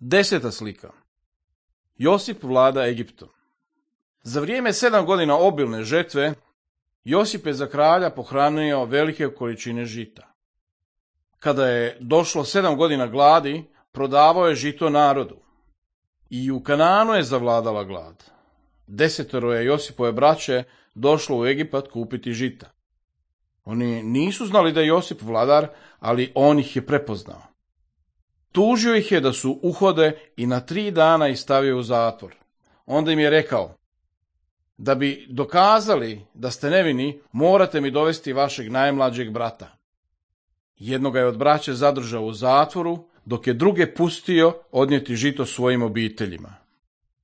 10. slika. Josip vlada Egiptom. Za vrijeme 7 godina obilne žetve, Josip je za kralja pohranio velike količine žita. Kada je došlo 7 godina gladi, prodavao je žito narodu. I u Kanaanu je zavladala glad. 10 je Josipove braće došlo u Egipat kupiti žita. Oni nisu znali da je Josip vladar, ali on ih je prepoznao. Tužio ih je da su uhode i na 3 dana ih stavio u zatvor. Onda im je rekao: da bi dokazali da ste nevini, morate mi dovesti vašeg najmlađeg brata. Jednoga je od braće zadržao u zatvoru, dok je druge pustio odnijeti žito svojim obiteljima.